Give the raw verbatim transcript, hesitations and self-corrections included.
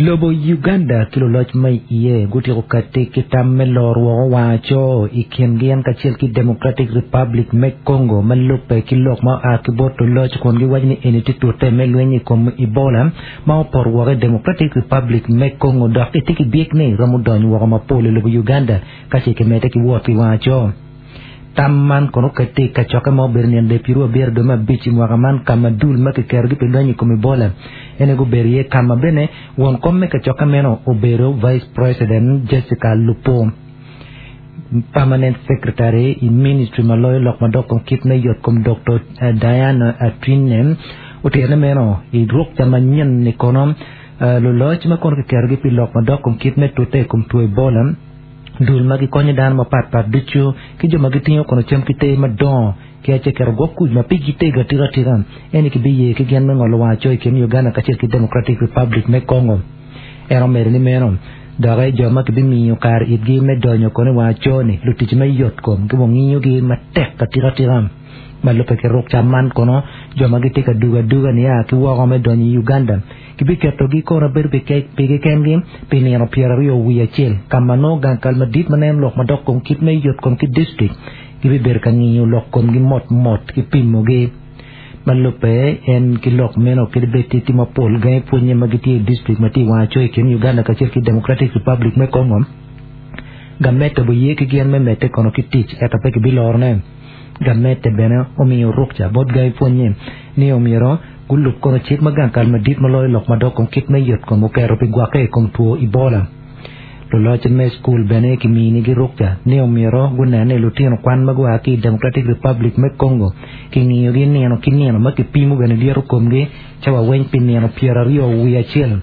Lobo Uganda ki luloc ma iye gutyeko kati ki tam me loro woko wang aco i kin gin kacel ki Democratic Republic me Congo ma lubbe ki lok ma oa ki bot luloc kun giwaco ni eni tye tute me lweny i kom Ebola ma opoto woko i Democratic Republic me Congo dok itye ki byek ni romo donyo woko mapol i lobo Uganda ka ce kimedde ki wot i wang aco. Tam man kono okati i kacokke ma obedo nino dek pyeraryo abiro dwe me abic i mwaka man ka ma dul ma kiketogi pi lweny i kom Ebola ene gubedo iye ka ma bene won kom me kacokke meno obedo Vice President Jessica Alupo. Permanent Secretary i Ministry ma loyo lok madok kom kit me yot kom Dr. Diana Atwine otito ni meno i rukca manyen ni kono luloc ma kono kiketogi pi lok madok kom kit me tute i kom two Ebola dul ma gikonyo dano mapatpat ducu ki jo ma gitingo kono cam ki te madongo ki ace keto gwok kuc ma pigi tego atika atika eni kibiye ki gin me ngolo wang aco i kin Uganda kacel ki Democratic Republic me Congo. En omedo ni meno dok jo ma kibimiyo kare itgi me donyo kono i wang aco ni lutic me yot kom gibingiyogi matek atika atika ma lubbe ki rukca man kono jo ma gitye ka dugo aduga nia ki woko me donyo i Uganda kibiketogi kono bedo pigi kengi pi nino pyeraryo wiye acel ka ma nongo gang kal madit ma neno lok madok kom kit me yot kom ki district gibibedo ka ngiyo lok komgi mot mot ki pimogi ma lubbe en ki lok meno kadi bed tye mapol gangi pwonye ma gitye i district ma tye i wang aco i kin Uganda kacel ki Democratic Republic me Congo gamete obiye ki gin me medde kono ki tic ento pe kibilorone gamete bene omiyo rukca bot gangi pwonye ni omyero gulub kono cik ma gang kal madit ma loyo lok madok kom kit me yot kom oketo pi gwokke i kom two Ebola. Luloc me skul bene kiminigi rukca ni omyero gunen ni lutino kwan ma gua ki i Democratic Republic me Congo kingiyogi nino ki nino ma kipimo bene lyeto komgi cawa weng pi nino pyeraryo wiye acel.